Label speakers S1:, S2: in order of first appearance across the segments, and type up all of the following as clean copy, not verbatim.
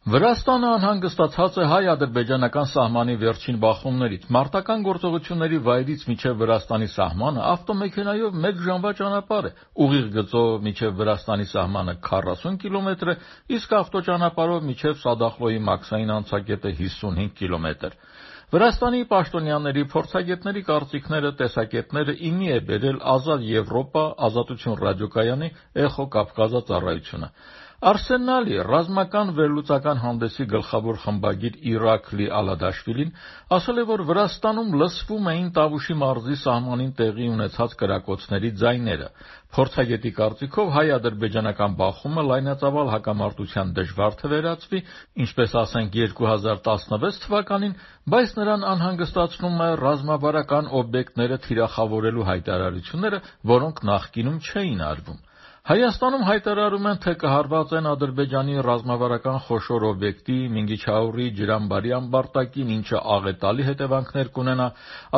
S1: Վրաստանը անհանգստացած է հայ-ադրբեջանական սահմանի վերջին բախումներից։ Մարտական գործողությունների վայրից մինչև Վրաստանի սահմանը ավտոմեքենայով 1 ժամվա ճանապարհ է, ուղիղ գծով մինչև Վրաստանի սահմանը 40 կիլոմետր է, իսկ ավտոճանապարհով մինչև Սադախլոյի մաքսային անցակետը 55 կիլոմետր։ Վրաստանի պաշտոնյաների, փորձագետների կարծիքները, տեսակետները իմի է բերել Ազատ Եվրոպա, Ազատություն ռադիոկայանի Էխո Կավկազա ծառայությունը։ Արսենալի ռազմական վերլուծական հանդեսի գլխավոր խմբագիր Իրաքլի Ալադաշվիլին ասել է, որ Վրաստանում լսվում էին Տավուշի մարզի սահմանին տեղի ունեցած կրակոցների ձայները։ Փորձագետի կարծիքով հայ-ադրբեջանական բախումը լայնածավալ հակամարտության դժվար թվերացվի, ինչպես ասենք 2016 թվականին, բայց նրան անհանգստացնում է ռազմավարական օբյեկտները թիրախավորելու հայտարարությունները, որոնք նախկինում չէին արվում։ Հայաստանում հայտարարում են, թե կհարված են Ադրբեջանի ռազմավարական խոշոր օբյեկտի Մինգիչաուրի ջրամբարի ամբարտակին, ինչը աղետալի հետևանքներ կունենա։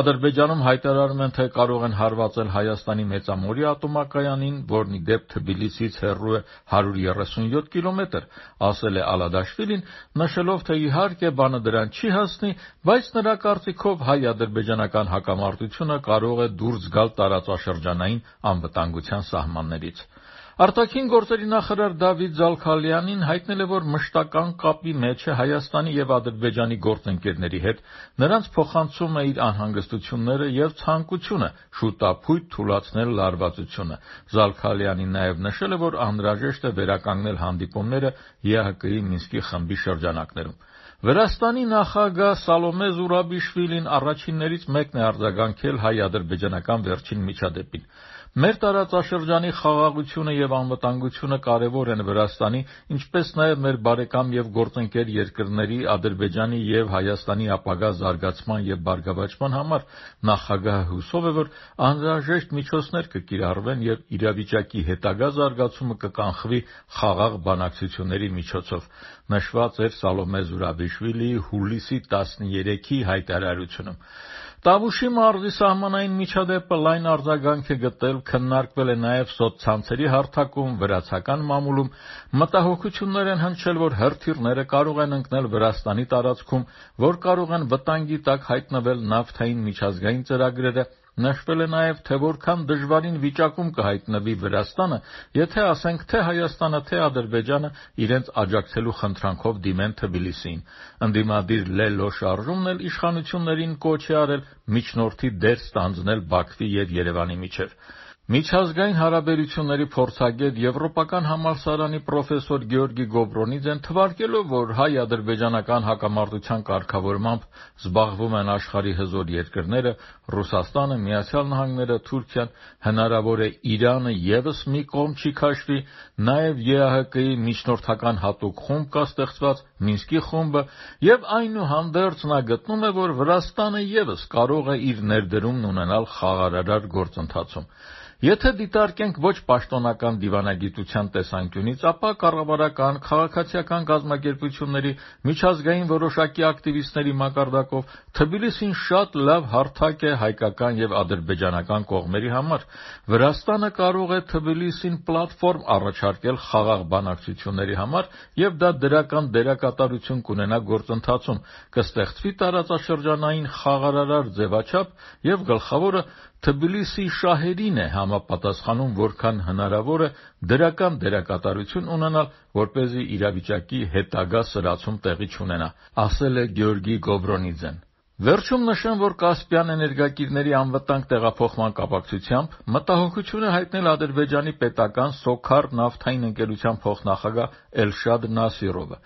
S1: Ադրբեջանում հայտարարում են, թե կարող են հարվածել Հայաստանի Մեծամորի ատոմակայանին, որն ի դեպ Թբիլիսից հեռու է 137 կիլոմետր, ասել է Ալադաշվիլին, նշելով, թե իհարկե բանը դրան չի հասնի, բայց նրա կարծիքով հայ-ադրբեջանական հակամարտությունը կարող է դուրս գալ տարածաշրջանային անվտանգության սահմաններից։ Արտաքին գործերի նախարար Դավիթ Զալքալյանին հայտնել է, որ մշտական կապի մեջ է Հայաստանի և Ադրբեջանի գործընկերների հետ, նրանց փոխանցում է իր անհանգստությունները և ցանկությունը շուտափույթ թուլացնել լարվածությունը։ Զալքալյանին նաև նշել է, որ անհրաժեշտ է վերականգնել հանդիպումները ԵԱՀԿ-ի Մինսկի խմբի շրջանակներում։ Վրաստանի նախագահ Սալոմե Զուրաբիշվիլին առաջիններից մեկն է արձագանքել հայ-ադրբեջանական վերջին միջադեպին։ Մեր տարածաշրջանի խաղաղությունը և անվտանգությունը կարևոր են Վրաստանի, ինչպես նաև մեր բարեկամ և գործընկեր երկրների Ադրբեջանի և Հայաստանի ապագա զարգացման և բարգավաճման համար։ Նախագահը հուսով է, որ անհրաժեշտ միջոցներ կկիրառվեն և իրավիճակի հետագա զարգացումը կկանխվի խաղաղ բանակցությունների միջոցով, նշված էր Սալոմե Զուրաբիշվիլիի հուլիսի 13-ի հայտարարությունում։ Տավուշի մարզի սահմանային միջադեպը լայն արձագանք է գտել, քննարկվել է նաև սոցցանցերի հարթակում, վրացական մամուլում։ Մտահոգություններ են հնչել, որ հրթիռները կարող են ընկնել Վրաստանի տարածքում, որ կարող են վտանգի տակ հայտնվել նավթային միջազգային ծրագրերը։ Նշվել է նաև, թե որքան դժվարին վիճակում կհայտնվի Վրաստանը, եթե ասենք թե Հայաստանը, թե Ադրբեջանը իրենց աջակցելու խնդրանքով դիմեն Թբիլիսիին։ Ընդդիմադիր Լելլո շարժումն էլ իշխանություններին կոչ է արել միջնորդի դեր ստանձնել Բաքվի և Երևանի միջև։ Միջազգային հարաբերությունների փորձագետ, Եվրոպական համալսարանի պրոֆեսոր Գեորգի Գոբրոնիձեն թվարկելով, որ հայ-ադրբեջանական հակամարտության կարգավորմամբ զբաղվում են աշխարհի հզոր երկրները, Ռուսաստանը, Միացյալ Նահանգները, Թուրքիան, հնարավոր է Իրանը ևս մի կողմ չի քաշվի, նաև ԵԱՀԿ-ի միջնորդական հատուկ խումբ կա ստեղծված, Մինսկի խումբը, և այնուհանդերձ նա գտնում է, որ Վրաստանը ևս կարող է իր ներդրումն ունենալ խաղաղարար գործընթացում։ Եթե դիտարկենք ոչ պաշտոնական դիվանագիտության տեսանկյունից, ապա կառավարական, քաղաքացիական կազմակերպությունների, միջազգային որոշակի ակտիվիստների մակարդակով Թբիլիսին շատ լավ հարթակ է հայկական և ադրբեջանական կողմերի համար։ Վրաստանը կարող է Թբիլիսին պլատֆորմ առաջարկել խաղաղ բանակցությունների համար, և դա դրական դերակատարություն կունենա գործընթացում, կստեղծվի տարածաշրջանային խաղաղարար ձևաչափ, և գլխավորը Թբիլիսի շահերին է համապատասխանում, որքան հնարավոր է դրական դերակատարություն ունենալ, որպեսզի իրավիճակի հետագա սրացում տեղի չունենա, ասել է Գեորգի Գոբրոնիձեն։ Վերջում նշեմ, որ Կասպյան էներգակիրների անվտանգ տեղափոխման կապակցությամբ մտահոգություն է հայտնել Ադրբեջանի պետական Սոքար նավթային ընկերության փոխնախագահ Էլշադ Նասիրովը։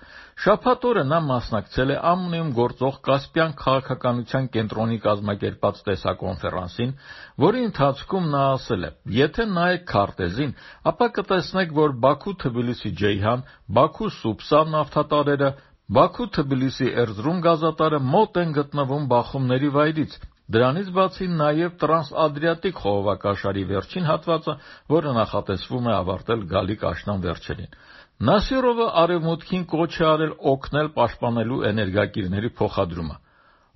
S1: Շաբաթ օրը նա մասնակցել է ԱՄՆ-ում գործող Կասպյան քաղաքականության կենտրոնի կազմակերպած տեսակոնֆերանսին, որի ընթացքում նա ասել է. «Եթե նայեք քարտեզին, ապա կտեսնեք, որ Բաքու-Թբիլիսի-Ջեյհան, Բաքու-Սուպսա նավթատարերը, Բաքու-Թբիլիսի Էրզրում գազատարը մոտ են գտնվում բախումների վայրից։ Դրանից բացի նաև Տրանսադրիատիկ խողովակաշարի վերջին հատվածը, որը նախատեսվում է ավարտել գալիք աշնան վերջերին»։ Նասիրովը Արևմուտքին կոչ է արել օգնել պաշտպանելու էներգակիրների փոխադրումը։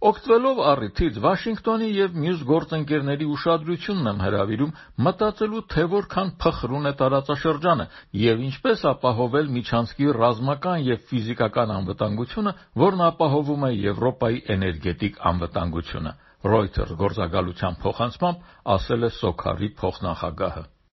S1: Օգտվելով առիթից Վաշինգտոնի եւ մյուս գործընկերների ուշադրությունն եմ հրավիրում մտածելու, թե որքան փխրուն է տարածաշրջանը եւ ինչպես ապահովել միջանցքի ռազմական եւ ֆիզիկական անվտանգությունը, որն ապահովում է Եվրոպայի էներգետիկ անվտանգությունը։ Reuters գործակալության փոխանցմամբ ասել է Սոքարի փոխնախագահը։